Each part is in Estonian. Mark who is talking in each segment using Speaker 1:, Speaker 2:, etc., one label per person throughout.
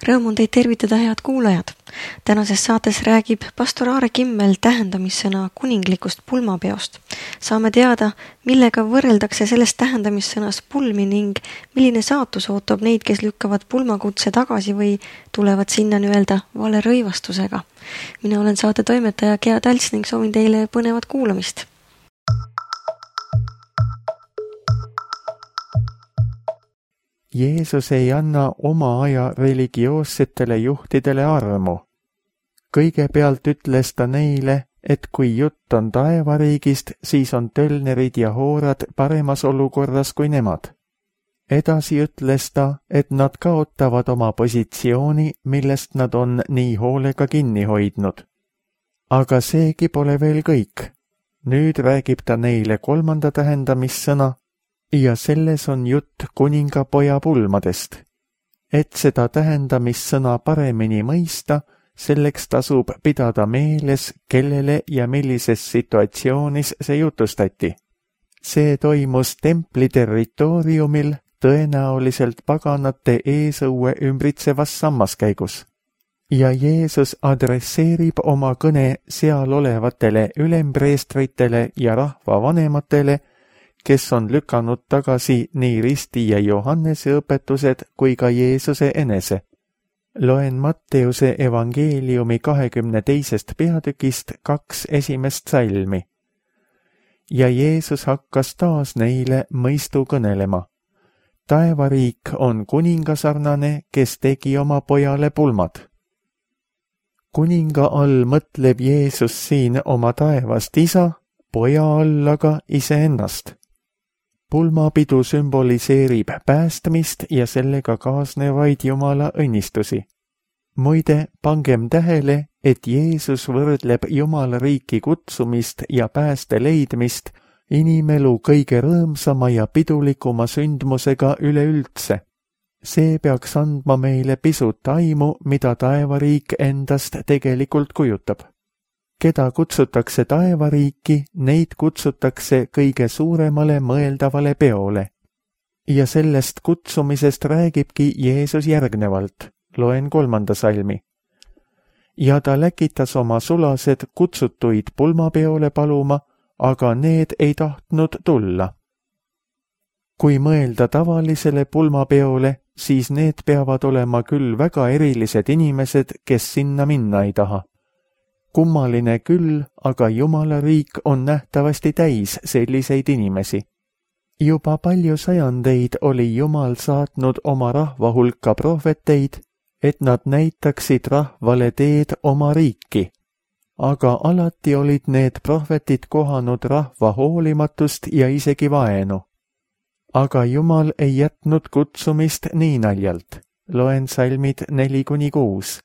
Speaker 1: Rõõm on teid tervitada, head kuulajad. Tänases saates räägib pastor Aare Kimmel tähendamissõna kuninglikust pulmapeost. Saame teada, millega võrreldakse sellest tähendamissõnas pulmi ning milline saatus ootab neid, kes lükkavad pulmakutse tagasi või tulevad sinna nii-öelda vale rõivastusega. Mina olen saate toimetaja Gea Talts ning soovin teile põnevat kuulamist.
Speaker 2: Jeesus ei anna oma aja religioossetele juhtidele armu. Kõigepealt ütles ta neile, et kui jutt on taevariigist, siis on tölnerid ja hoorad paremas olukorras kui nemad. Edasi ütles ta, et nad kaotavad oma positsiooni, millest nad on nii hoolega kinni hoidnud. Aga seegi pole veel kõik. Nüüd räägib ta neile kolmanda tähendamissõna, ja selles on jutt kuningapoja pulmadest. Et seda tähendamissõna paremini mõista, selleks tasub pidada meeles, kellele ja millises situatsioonis see jutustati. See toimus templi territooriumil, tõenäoliselt paganate eesõue ümbritsevas sammaskäigus. Ja Jeesus adresseerib oma kõne seal olevatele ülempreestritele ja rahvavanematele, kes on lükanud tagasi nii Risti ja Johannese õpetused kui ka Jeesuse enese. Loen Matteuse evangeeliumi 22. peatükist 2 esimest salmi. Ja Jeesus hakkas taas neile mõistu kõnelema. Taevariik on kuningasarnane, kes tegi oma pojale pulmad. Kuninga all mõtleb Jeesus siin oma taevast isa, poja all aga iseennast. Pulmapidu sümboliseerib päästmist ja sellega kaasnevaid Jumala õnnistusi. Muide, pangem tähele, et Jeesus võrdleb Jumala riiki kutsumist ja pääste leidmist inimelu kõige rõõmsama ja pidulikuma sündmusega üleüldse. See peaks andma meile pisut aimu, mida taevariik endast tegelikult kujutab. Keda kutsutakse taevariiki, neid kutsutakse kõige suuremale mõeldavale peole. Ja sellest kutsumisest räägibki Jeesus järgnevalt. Loen 3. salmi. Ja ta läkitas oma sulased kutsutuid pulmapeole paluma, aga need ei tahtnud tulla. Kui mõelda tavalisele pulmapeole, siis need peavad olema küll väga erilised inimesed, kes sinna minna ei taha. Kummaline küll, aga Jumala riik on nähtavasti täis selliseid inimesi. Juba palju sajandeid oli Jumal saatnud oma rahva hulka prohveteid, et nad näitaksid rahvale teed oma riiki. Aga alati olid need prohvetid kohanud rahva hoolimatust ja isegi vaenu. Aga Jumal ei jätnud kutsumist nii naljalt. Loen salmid 4-6.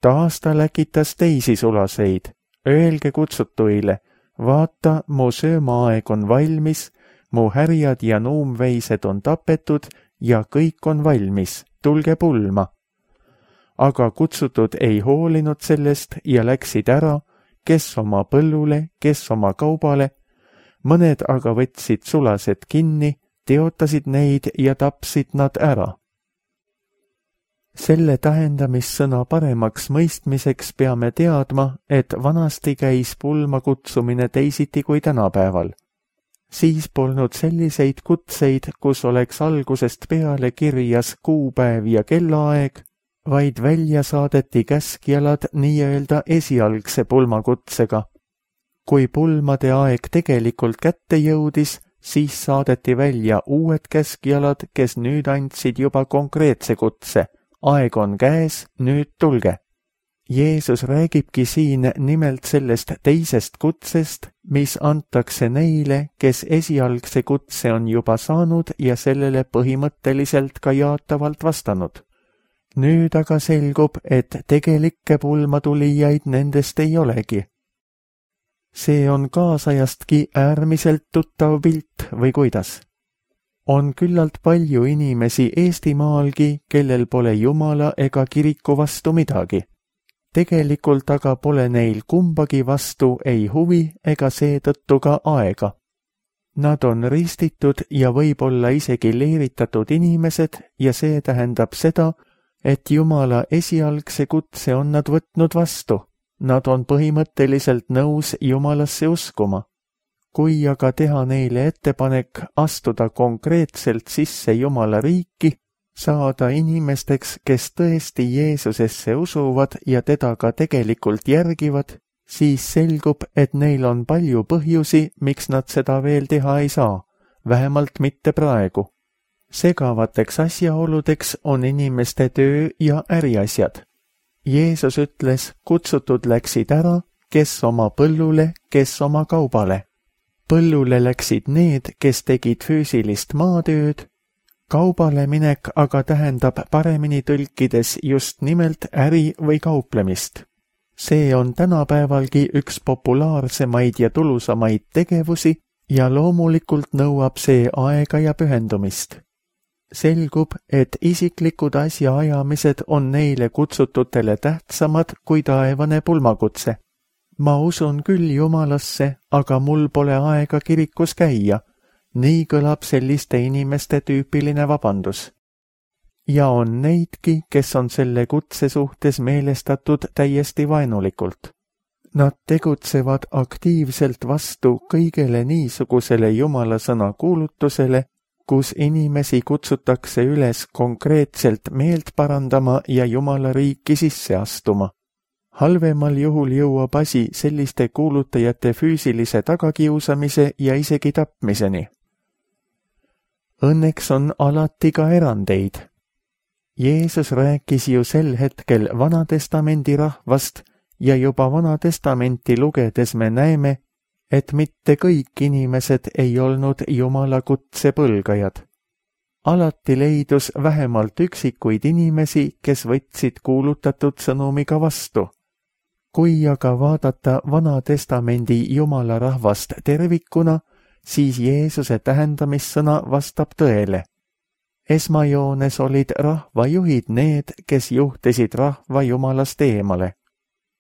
Speaker 2: Taas ta läkitas teisi sulaseid. Öelge kutsutuile, vaata, mu söömaaeg on valmis, mu härjad ja nuumveised on tapetud ja kõik on valmis, tulge pulma. Aga kutsutud ei hoolinud sellest ja läksid ära, kes oma põllule, kes oma kaubale, mõned aga võtsid sulased kinni, teotasid neid ja tapsid nad ära. Selle tähendamissõna paremaks mõistmiseks peame teadma, et vanasti käis pulma kutsumine teisiti kui tänapäeval. Siis polnud selliseid kutseid, kus oleks algusest peale kirjas kuupäev ja kellaaeg, vaid välja saadeti käskjalad nii-öelda esialgse pulmakutsega. Kui pulmade aeg tegelikult kätte jõudis, siis saadeti välja uued käskjalad, kes nüüd andsid juba konkreetse kutse. Aeg on käes, nüüd tulge. Jeesus räägibki siin nimelt sellest teisest kutsest, mis antakse neile, kes esialgse kutse on juba saanud ja sellele põhimõtteliselt ka jaatavalt vastanud. Nüüd aga selgub, et tegelikke pulmatulijaid nendest ei olegi. See on kaasajastki äärmiselt tuttav pilt või kuidas? On küllalt palju inimesi Eestimaalgi, kellel pole Jumala ega kiriku vastu midagi. Tegelikult aga pole neil kumbagi vastu ei huvi ega seetõttu ka aega. Nad on ristitud ja võib-olla isegi leeritatud inimesed ja see tähendab seda, et Jumala esialgse kutse on nad võtnud vastu. Nad on põhimõtteliselt nõus Jumalasse uskuma. Kui aga teha neile ettepanek astuda konkreetselt sisse Jumala riiki, saada inimesteks, kes tõesti Jeesusesse usuvad ja teda ka tegelikult järgivad, siis selgub, et neil on palju põhjusi, miks nad seda veel teha ei saa, vähemalt mitte praegu. Segavateks asjaoludeks on inimeste töö ja äriasjad. Jeesus ütles, kutsutud läksid ära, kes oma põllule, kes oma kaubale. Põllule läksid need, kes tegid füüsilist maatööd, kaubale minek aga tähendab paremini tõlkides just nimelt äri või kauplemist. See on tänapäevalgi üks populaarsemaid ja tulusamaid tegevusi ja loomulikult nõuab see aega ja pühendumist. Selgub, et isiklikud asjaajamised on neile kutsututele tähtsamad kui taevane pulmakutse. Ma usun küll Jumalasse, aga mul pole aega kirikus käia. Nii kõlab selliste inimeste tüüpiline vabandus. Ja on neidki, kes on selle kutse suhtes meelestatud täiesti vaenulikult. Nad tegutsevad aktiivselt vastu kõigele niisugusele Jumala sõna kuulutusele, kus inimesi kutsutakse üles konkreetselt meelt parandama ja Jumala riiki sisse astuma. Halvemal juhul jõuab asi selliste kuulutajate füüsilise tagakiusamise ja isegi tapmiseni. Õnneks on alati ka erandeid. Jeesus rääkis ju sel hetkel Vanatestamendi rahvast ja juba Vanatestamenti lugedes me näeme, et mitte kõik inimesed ei olnud Jumala kutse põlgajad. Alati leidus vähemalt üksikuid inimesi, kes võtsid kuulutatud sõnumiga vastu. Kui aga vaadata Vanatestamendi Jumala rahvast tervikuna, siis Jeesuse tähendamissõna vastab tõele. Esmajoones olid rahvajuhid need, kes juhtisid rahva Jumalast eemale.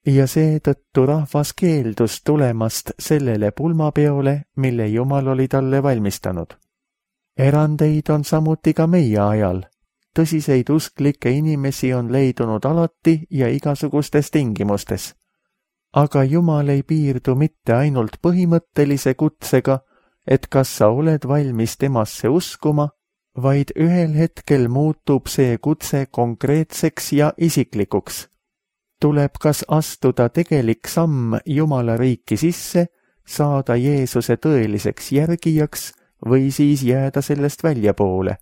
Speaker 2: Ja seetõttu rahvas keeldus tulemast sellele pulmapeole, mille Jumal oli talle valmistanud. Erandeid on samuti ka meie ajal. Tõsiseid usklikke inimesi on leidunud alati ja igasugustes tingimustes. Aga Jumal ei piirdu mitte ainult põhimõttelise kutsega, et kas sa oled valmis temasse uskuma, vaid ühel hetkel muutub see kutse konkreetseks ja isiklikuks. Tuleb kas astuda tegelik samm Jumala riiki sisse, saada Jeesuse tõeliseks järgijaks või siis jääda sellest väljapoole,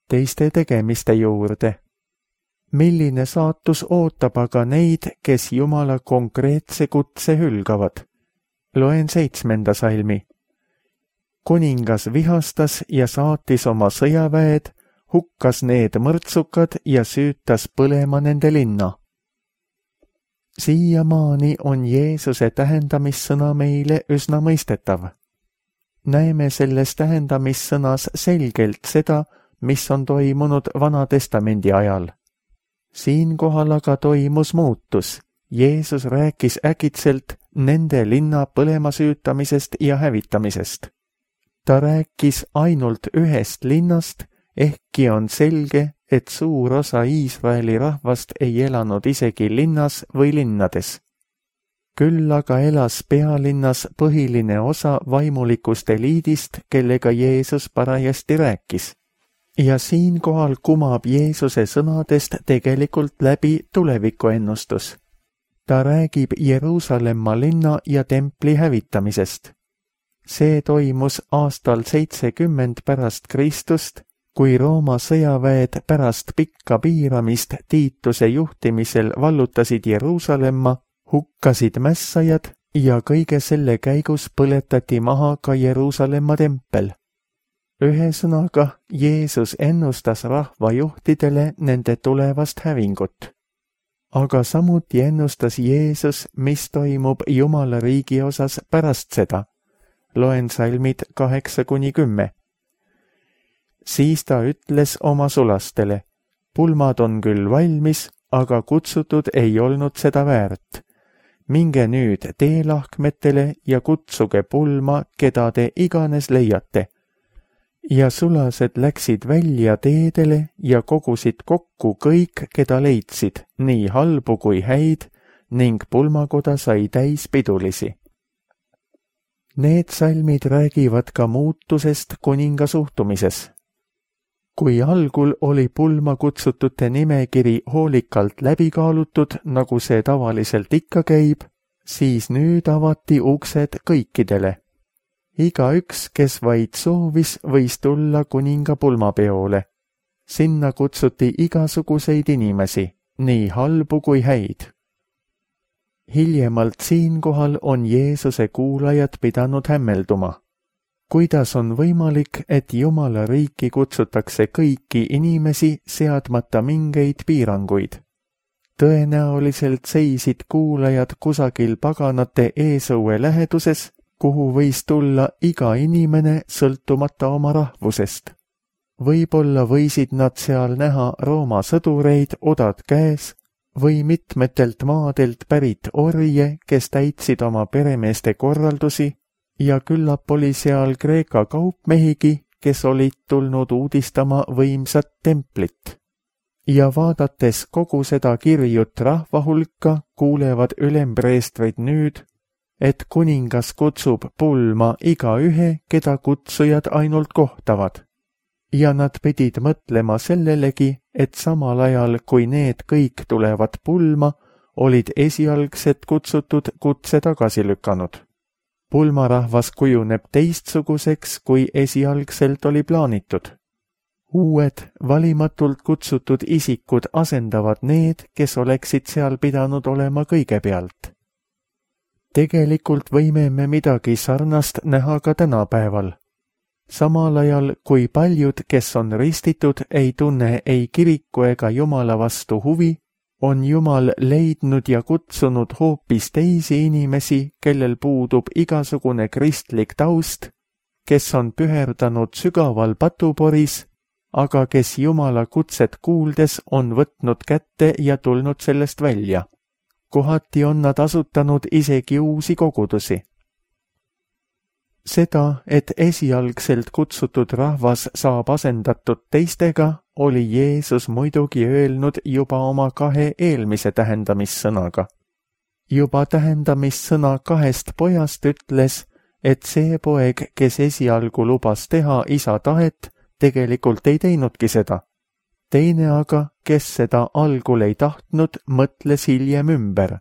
Speaker 2: teiste tegemiste juurde. Milline saatus ootab aga neid, kes Jumala konkreetse kutse hülgavad? Loen 7. salmi. Kuningas vihastas ja saatis oma sõjaväed, hukkas need mõrtsukad ja süütas põlema nende linna. Siiamaani on Jeesuse tähendamissõna meile üsna mõistetav. Näeme selles tähendamissõnas selgelt seda, mis on toimunud Vanatestamendi ajal. Siinkohal aga toimus muutus. Jeesus rääkis äkitselt nende linna põlema süütamisest ja hävitamisest. Ta rääkis ainult ühest linnast, ehkki on selge, et suur osa Iisraeli rahvast ei elanud isegi linnas või linnades. Küll aga elas pealinnas põhiline osa vaimulikust eliidist, kellega Jeesus parajasti rääkis. Ja siinkohal kumab Jeesuse sõnadest tegelikult läbi tulevikuennustus. Ta räägib Jeruusalemma linna ja templi hävitamisest. See toimus aastal 70 pärast Kristust, kui Rooma sõjaväed pärast pikka piiramist Tiituse juhtimisel vallutasid Jeruusalemma, hukkasid mässajad ja kõige selle käigus põletati maha ka Jeruusalemma tempel. Ühesõnaga, Jeesus ennustas rahvajuhtidele nende tulevast hävingut. Aga samuti ennustas Jeesus, mis toimub Jumala riigi osas pärast seda. Loen salmid 8-10. Siis ta ütles oma sulastele, pulmad on küll valmis, aga kutsutud ei olnud seda väärt. Minge nüüd teelahkmetele ja kutsuge pulma, keda te iganes leiate. ja sulased läksid välja teedele ja kogusid kokku kõik, keda leidsid, nii halbu kui häid, ning pulmakoda sai täis pidulisi. Need salmid räägivad ka muutusest kuninga suhtumises. Kui algul oli pulma kutsutute nimekiri hoolikalt läbi kaalutud, nagu see tavaliselt ikka käib, siis nüüd avati uksed kõikidele. Igaüks, kes vaid soovis, võis tulla kuninga pulmapeole. Sinna kutsuti igasuguseid inimesi, nii halbu kui häid. Hiljemalt siinkohal on Jeesuse kuulajad pidanud hämmelduma. Kuidas on võimalik, et Jumala riiki kutsutakse kõiki inimesi seadmata mingeid piiranguid? Tõenäoliselt seisid kuulajad kusagil paganate eesõue läheduses, kuhu võis tulla iga inimene sõltumata oma rahvusest. Võib-olla võisid nad seal näha Rooma sõdureid odad käes või mitmetelt maadelt pärit orje, kes täitsid oma peremeeste korraldusi, ja küllap oli seal Kreeka kaupmehigi, kes olid tulnud uudistama võimsat templit. Ja vaadates kogu seda kirjut rahva hulka, kuulevad ülempreestrid nüüd, et kuningas kutsub pulma igaühe, keda kutsujad ainult kohtavad. Ja nad pidid mõtlema sellelegi, et samal ajal, kui need kõik tulevad pulma, olid esialgsed kutsutud kutse tagasi lükanud. Pulmarahvas kujuneb teistsuguseks, kui esialgselt oli plaanitud. Uued, valimatult kutsutud isikud asendavad need, kes oleksid seal pidanud olema kõigepealt. Tegelikult võime me midagi sarnast näha ka tänapäeval. Samal ajal, kui paljud, kes on ristitud, ei tunne ei kiriku ega Jumala vastu huvi, on Jumal leidnud ja kutsunud hoopis teisi inimesi, kellel puudub igasugune kristlik taust, kes on püherdanud sügaval patuporis, aga kes Jumala kutset kuuldes on võtnud kätte ja tulnud sellest välja. Kohati on nad asutanud isegi uusi kogudusi. Seda, et esialgselt kutsutud rahvas saab asendatud teistega, oli Jeesus muidugi öelnud juba oma 2 eelmise tähendamissõnaga. Juba tähendamissõna 2 pojast ütles, et see poeg, kes esialgu lubas teha isa tahet, tegelikult ei teinudki seda. Teine aga, kes seda algul ei tahtnud, mõtles hiljem ümber.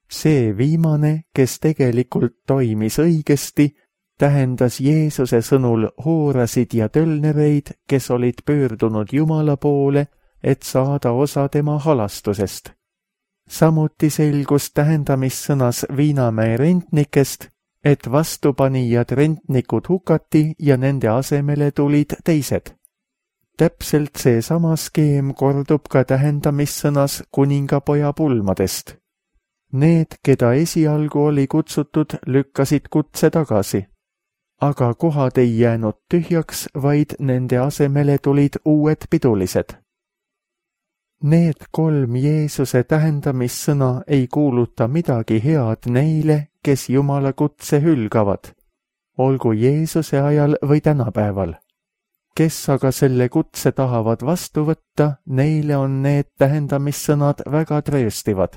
Speaker 2: See viimane, kes tegelikult toimis õigesti, tähendas Jeesuse sõnul hoorasid ja tölnereid, kes olid pöördunud Jumala poole, et saada osa tema halastusest. Samuti selgus tähendamissõnas Viinamäe rentnikest, et vastupanijad rentnikud hukati ja nende asemele tulid teised. Täpselt seesama skeem kordub ka tähendamissõnas kuningapoja pulmadest. Need, keda esialgu oli kutsutud, lükkasid kutse tagasi. Aga kohad ei jäänud tühjaks, vaid nende asemele tulid uued pidulised. Need 3 Jeesuse tähendamissõna ei kuuluta midagi head neile, kes Jumala kutse hülgavad, olgu Jeesuse ajal või tänapäeval. Kes aga selle kutse tahavad vastu võtta, neile on need tähendamissõnad väga trööstivad.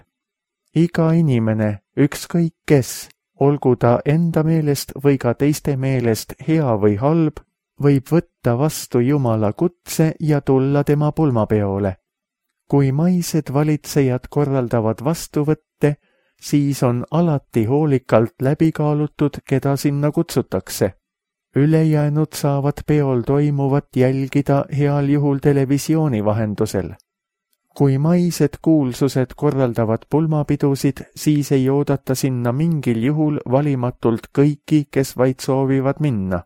Speaker 2: Iga inimene, ükskõik kes, olgu ta enda meelest või ka teiste meelest hea või halb, võib võtta vastu Jumala kutse ja tulla tema pulmapeole. Kui maised valitsejad korraldavad vastuvõtte, siis on alati hoolikalt läbi kaalutud, keda sinna kutsutakse. Ülejäänud saavad peol toimuvat jälgida heal juhul televisiooni vahendusel. Kui maised kuulsused korraldavad pulmapidusid, siis ei oodata sinna mingil juhul valimatult kõiki, kes vaid soovivad minna.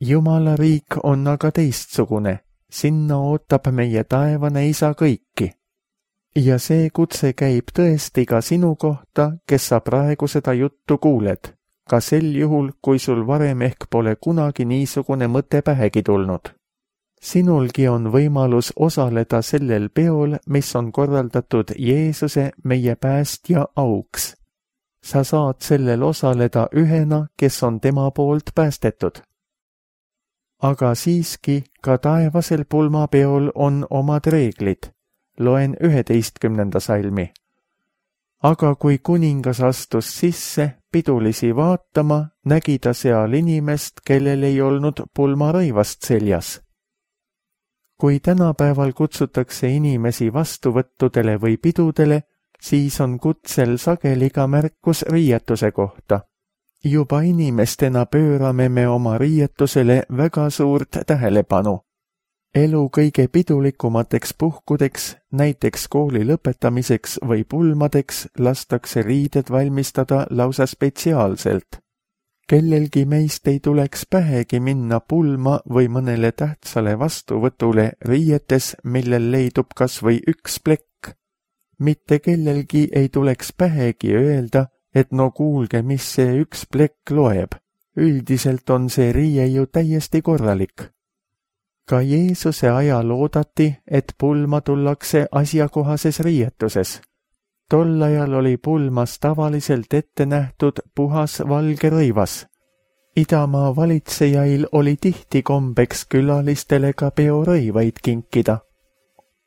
Speaker 2: Jumala riik on aga teistsugune, sinna ootab meie taevane isa kõiki. Ja see kutse käib tõesti ka sinu kohta, kes sa praegu seda juttu kuuled, ka sel juhul, kui sul varem ehk pole kunagi niisugune mõte pähegi tulnud. Sinulgi on võimalus osaleda sellel peol, mis on korraldatud Jeesuse, meie päästja auks. Sa saad sellel osaleda ühena, kes on tema poolt päästetud. aga siiski ka taevasel pulmapeol on omad reeglid. Loen 11. salmi. Aga kui kuningas astus sisse pidulisi vaatama, nägi ta seal inimest, kellel ei olnud pulmarõivast seljas. Kui tänapäeval kutsutakse inimesi vastuvõttudele või pidudele, siis on kutsel sageli ka märkus riietuse kohta. Juba inimestena pöörame me oma riietusele väga suurt tähelepanu. Elu kõige pidulikumateks puhkudeks, näiteks kooli lõpetamiseks või pulmadeks, lastakse riided valmistada lausa spetsiaalselt. Kellelgi meist ei tuleks pähegi minna pulma või mõnele tähtsale vastuvõtule riietes, millel leidub kas või üks plekk. Mitte kellelgi ei tuleks pähegi öelda, et no kuulge, mis see üks plekk loeb. Üldiselt on see riie ju täiesti korralik. Ka Jeesuse ajal oodati, et pulma tullakse asjakohases riietuses. Tol ajal oli pulmas tavaliselt ette nähtud puhas valge rõivas. Idamaa valitsejail oli tihti kombeks külalistele ka peorõivaid kinkida.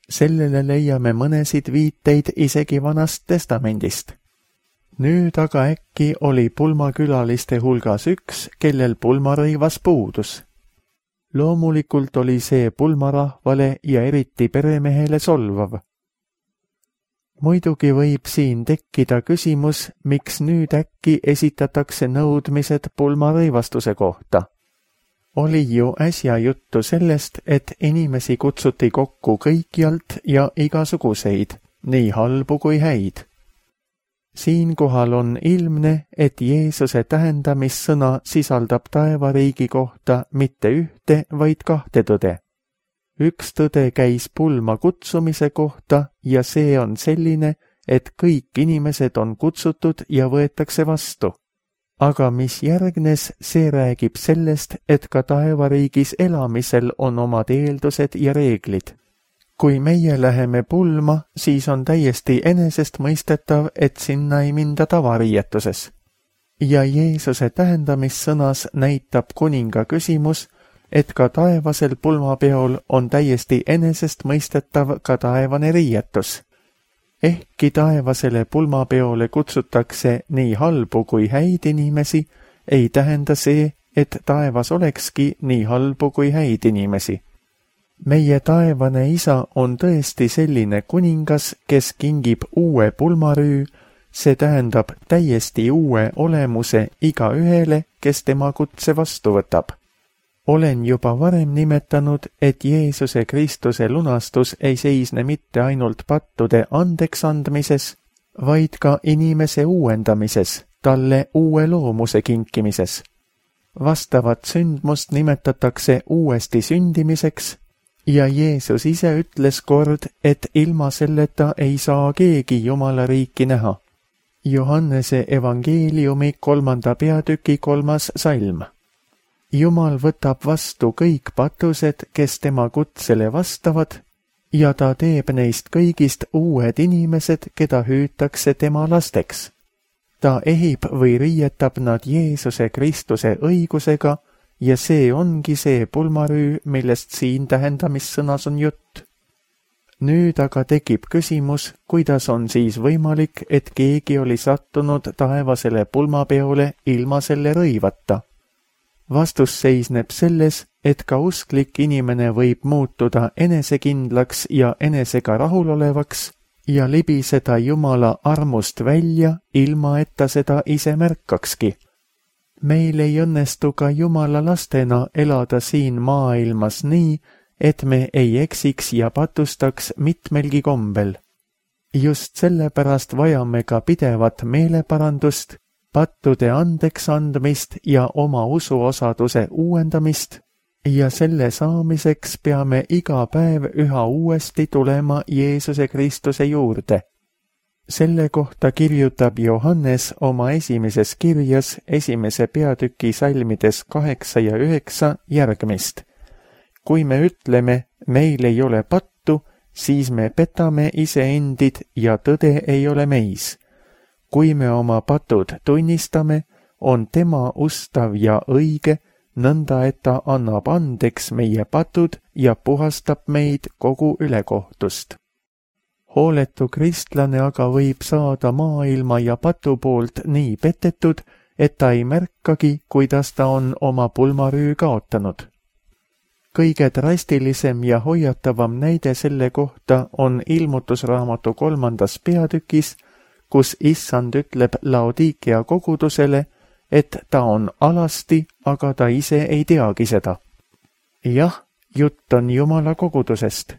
Speaker 2: Sellele leiame mõnesid viiteid isegi Vanast Testamendist. Nüüd aga äkki oli pulmakülaliste hulgas üks, kellel pulmarõivas puudus. Loomulikult oli see pulmarahvale ja eriti peremehele solvav. Muidugi võib siin tekkida küsimus, miks nüüd äkki esitatakse nõudmised pulmarõivastuse kohta. Oli ju äsja juttu sellest, et inimesi kutsuti kokku kõikjalt ja igasuguseid, nii halbu kui häid. Siinkohal on ilmne, et Jeesuse tähendamissõna sisaldab taevariigi kohta mitte ühte, vaid kahte tõde. Üks tõde käis pulma kutsumise kohta ja see on selline, et kõik inimesed on kutsutud ja võetakse vastu. Aga mis järgnes, see räägib sellest, et ka taevariigis elamisel on omad eeldused ja reeglid. Kui meie läheme pulma, siis on täiesti enesestmõistetav, et sinna ei minda tavariietuses. Ja Jeesuse tähendamissõnas näitab kuninga küsimus, et ka taevasel pulmapeol on täiesti enesestmõistetav ka taevane riietus. Ehkki taevasele pulmapeole kutsutakse nii halbu kui häid inimesi, ei tähenda see, et taevas olekski nii halbu kui häid inimesi. Meie taevane isa on tõesti selline kuningas, kes kingib uue pulmarüü, see tähendab täiesti uue olemuse igaühele, kes tema kutse vastu võtab. Olen juba varem nimetanud, et Jeesuse Kristuse lunastus ei seisne mitte ainult pattude andeks andmises, vaid ka inimese uuendamises, talle uue loomuse kinkimises. Vastavat sündmust nimetatakse uuesti sündimiseks ja Jeesus ise ütles kord, et ilma selleta ei saa keegi Jumala riiki näha. Johannese evangeeliumi 3. peatüki 3. salm. Jumal võtab vastu kõik patused, kes tema kutsele vastavad, ja ta teeb neist kõigist uued inimesed, keda hüütakse tema lasteks. Ta ehib või riietab nad Jeesuse Kristuse õigusega ja see ongi see pulmarüü, millest siin tähendamissõnas on jutt. Nüüd aga tekib küsimus, kuidas on siis võimalik, et keegi oli sattunud taevasele pulmapeole ilma selle rõivata. Vastus seisneb selles, et ka usklik inimene võib muutuda enesekindlaks ja enesega rahulolevaks ja libiseda Jumala armust välja, ilma et ta seda ise märkakski. Meil ei õnnestu ka Jumala lastena elada siin maailmas nii, et me ei eksiks ja patustaks mitmelgi kombel. Just sellepärast vajame ka pidevat meeleparandust, pattude andeks andmist ja oma usuosaduse uuendamist ja selle saamiseks peame iga päev üha uuesti tulema Jeesuse Kristuse juurde. Selle kohta kirjutab Johannes oma esimeses kirjas 1. peatüki salmides 8 ja 9 järgmist. Kui me ütleme, meil ei ole pattu, siis me petame iseendid ja tõde ei ole meis. Kui me oma patud tunnistame, on tema ustav ja õige nõnda et ta annab andeks meie patud ja puhastab meid kogu ülekohtust. Hooletu kristlane aga võib saada maailma ja patu poolt nii petetud, et ta ei märkagi, kuidas ta on oma pulmarüü kaotanud. Kõige drastilisem ja hoiatavam näide selle kohta on Ilmutusraamatu 3. peatükis, kus Issand ütleb Laodikea kogudusele, et ta on alasti, aga ta ise ei teagi seda. Jah, jutt on Jumala kogudusest.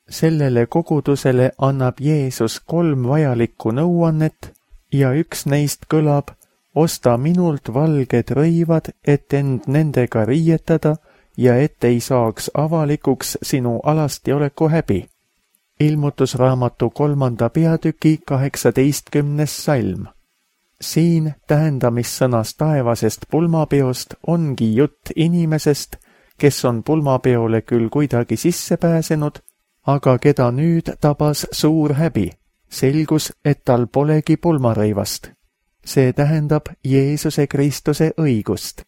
Speaker 2: Sellele kogudusele annab Jeesus 3 vajalikku nõuannet ja üks neist kõlab: osta minult valged rõivad, et end nendega riietada ja et ei saaks avalikuks sinu alastioleku häbi. Ilmutusraamatu 3. peatüki 18. salm. Siin tähendamissõnas taevasest pulmapeost ongi jutt inimesest, kes on pulmapeole küll kuidagi sisse pääsenud, aga keda nüüd tabas suur häbi. Selgus, et tal polegi pulmarõivast. See tähendab Jeesuse Kristuse õigust.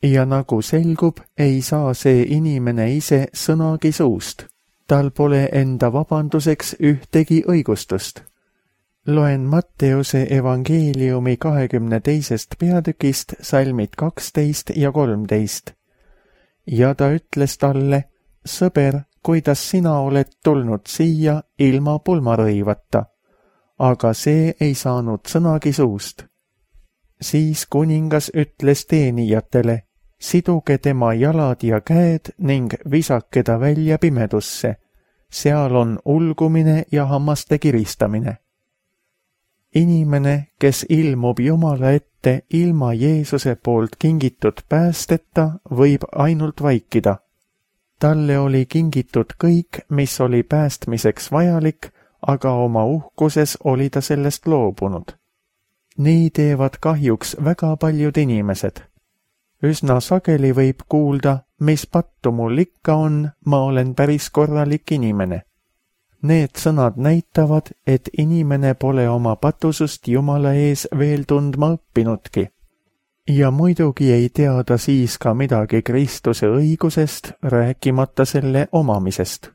Speaker 2: Ja nagu selgub, ei saa see inimene ise sõnagi suust. Tal pole enda vabanduseks ühtegi õigustust. Loen Matteuse evangeeliumi 22. peatükist salmid 12 ja 13. Ja ta ütles talle: sõber, kuidas sina oled tulnud siia ilma pulmarõivata, aga see ei saanud sõnagi suust. Siis kuningas ütles teenijatele: siduge tema jalad ja käed ning visake ta välja pimedusse. Seal on ulgumine ja hammaste kiristamine. Inimene, kes ilmub Jumala ette ilma Jeesuse poolt kingitud päästeta, võib ainult vaikida. Talle oli kingitud kõik, mis oli päästmiseks vajalik, aga oma uhkuses oli ta sellest loobunud. Nii teevad kahjuks väga paljud inimesed. Üsna sageli võib kuulda: mis pattu mul ikka on, ma olen päris korralik inimene. Need sõnad näitavad, et inimene pole oma patusust Jumala ees veel tundma õppinudki. Ja muidugi ei tea ta siis ka midagi Kristuse õigusest, rääkimata selle omamisest.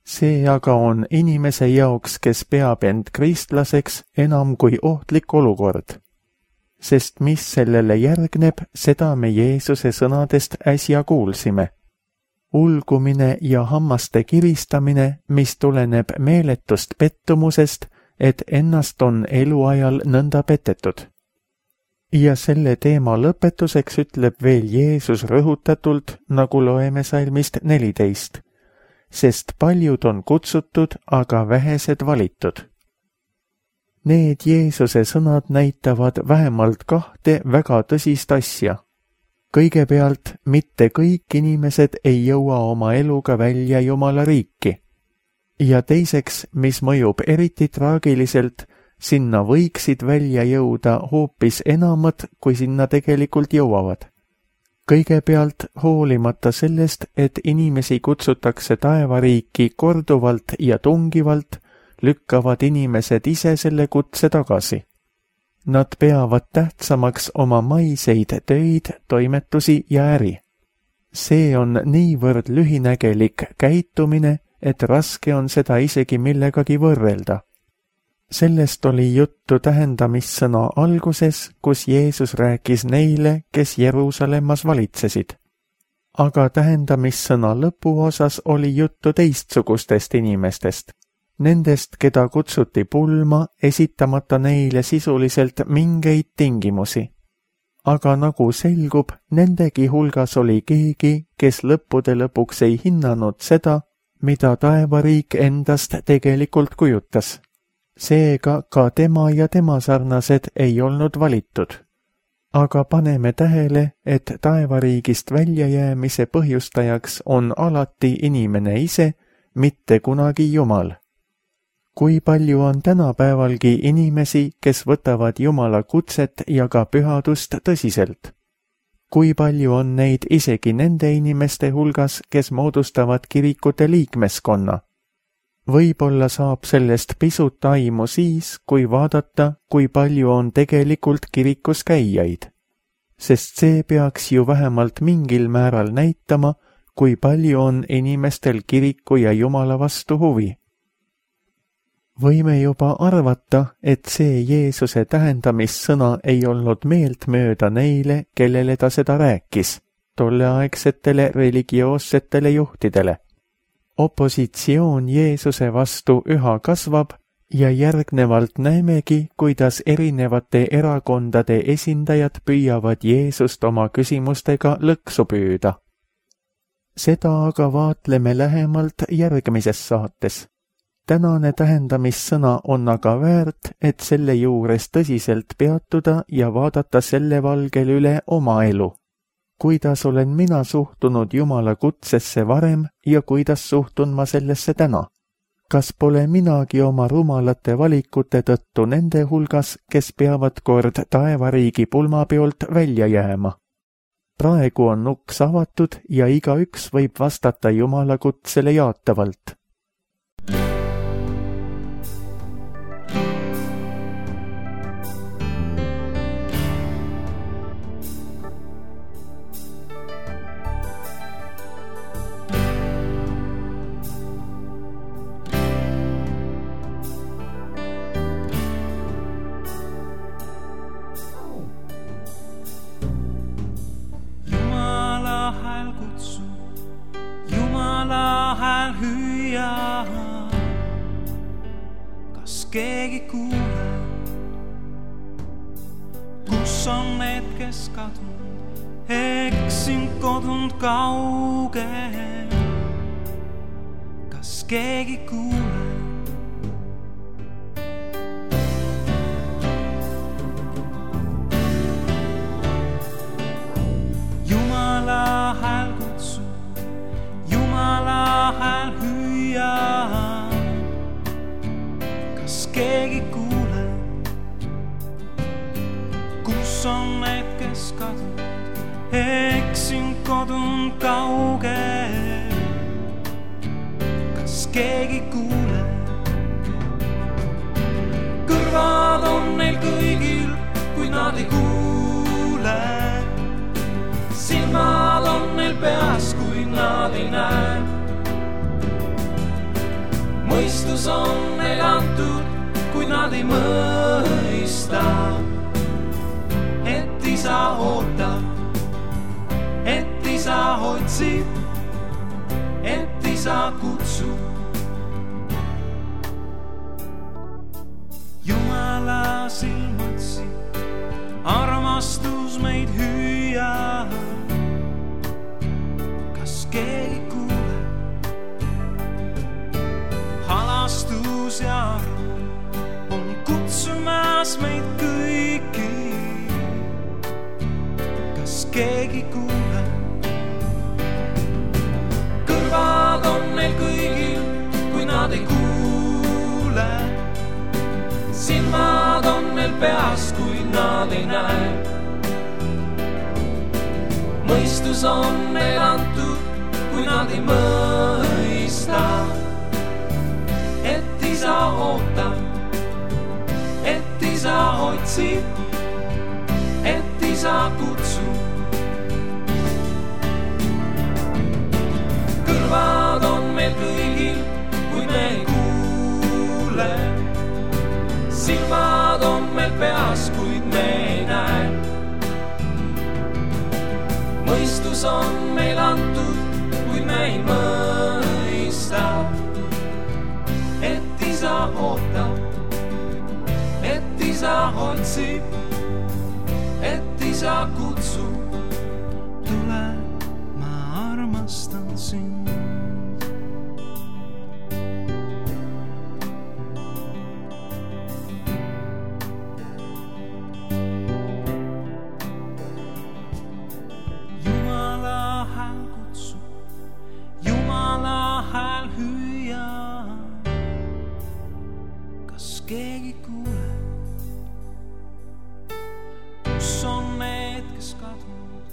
Speaker 2: See aga on inimese jaoks, kes peab end kristlaseks, enam kui ohtlik olukord. Sest mis sellele järgneb, seda me Jeesuse sõnadest äsja kuulsime. Ulgumine ja hammaste kiristamine, mis tuleneb meeletust pettumusest, et ennast on eluajal nõnda petetud. Ja selle teema lõpetuseks ütleb veel Jeesus rõhutatult, nagu loeme salmist 14. Sest paljud on kutsutud, aga vähesed valitud. Need Jeesuse sõnad näitavad vähemalt 2 väga tõsist asja. Kõigepealt, mitte kõik inimesed ei jõua oma eluga välja Jumala riiki. Ja teiseks, mis mõjub eriti traagiliselt, sinna võiksid välja jõuda hoopis enamad, kui sinna tegelikult jõuavad. Kõigepealt, hoolimata sellest, et inimesi kutsutakse taevariiki korduvalt ja tungivalt, lükkavad inimesed ise selle kutse tagasi. Nad peavad tähtsamaks oma maiseid töid, toimetusi ja äri. See on niivõrd lühinägelik käitumine, et raske on seda isegi millegagi võrrelda. Sellest oli juttu tähendamissõna alguses, kus Jeesus rääkis neile, kes Jeruusalemmas valitsesid. Aga tähendamissõna lõpuosas oli juttu teistsugustest inimestest. Nendest, keda kutsuti pulma, esitamata neile sisuliselt mingeid tingimusi. Aga nagu selgub, nendegi hulgas oli keegi, kes lõppude lõpuks ei hinnanud seda, mida taevariik endast tegelikult kujutas. Seega ka tema ja tema sarnased ei olnud valitud. Aga paneme tähele, et taevariigist väljajäämise põhjustajaks on alati inimene ise, mitte kunagi Jumal. Kui palju on tänapäevalgi inimesi, kes võtavad Jumala kutset ja ka pühadust tõsiselt? Kui palju on neid isegi nende inimeste hulgas, kes moodustavad kirikute liikmeskonna? Võib-olla saab sellest pisut aimu siis, kui vaadata, kui palju on tegelikult kirikus käijaid. sest see peaks ju vähemalt mingil määral näitama, kui palju on inimestel kiriku ja Jumala vastu huvi. Võime juba arvata, et see Jeesuse tähendamissõna ei olnud meeltmööda neile, kellele ta seda rääkis, tolleaegsetele religioossetele juhtidele. Opositsioon Jeesuse vastu üha kasvab ja järgnevalt näemegi, kuidas erinevate erakondade esindajad püüavad Jeesust oma küsimustega lõksu püüda. Seda aga vaatleme lähemalt järgmises saates. Tänane tähendamissõna on aga väärt, et selle juures tõsiselt peatuda ja vaadata selle valgel üle oma elu. Kuidas olen mina suhtunud Jumala kutsesse varem ja kuidas suhtun ma sellesse täna? Kas pole minagi oma rumalate valikute tõttu nende hulgas, kes peavad kord taevariigi pulmapeolt välja jääma? Praegu on uks avatud ja igaüks võib vastata Jumala kutsele jaatavalt.
Speaker 3: Kas keegi kuule, kus on need, kes kadunud, eksin kodunud kaugel? Kas keegi kuule? Jumala hääl kutsub, Jumala hääl hüüab. Kas keegi kuule, kus on need, kes kadunud, eksin kodunud kaugel? Kas keegi kuule? Kõrvad on neil kõigil, kuid nad ei kuule. Silmad on neil peas, kuid nad ei näe. Mõistus on neil antud, kuid nad ei mõista, et isa ootab, et isa otsib, et isa kutsub. Jumala silmatsi, armastus meid hüüab. Kas keegi kuule? Halastus ja arm on kutsumas meid kõiki. Kas keegi kuule? Kõrvad on neil kõigil, kui nad ei kuule. Silmad on neil peas, kui nad ei näe. Mõistus on neil antud, kui nad ei mõista, et isa ootab, et isa otsib, et isa kutsub. Kõrvad on meil kõigil, kui me ei kuule. Silmad on meil peas, kuid me ei näe. Mõistus on meil antud, kuid me ei mõista, et isa ootab, et isa otsib, et isa kutsub. Tule, ma armastan sind. Jumala hääl kutsub, Jumala hääl hüüab. Kas keegi kuule? Kus on need, kes kadunud,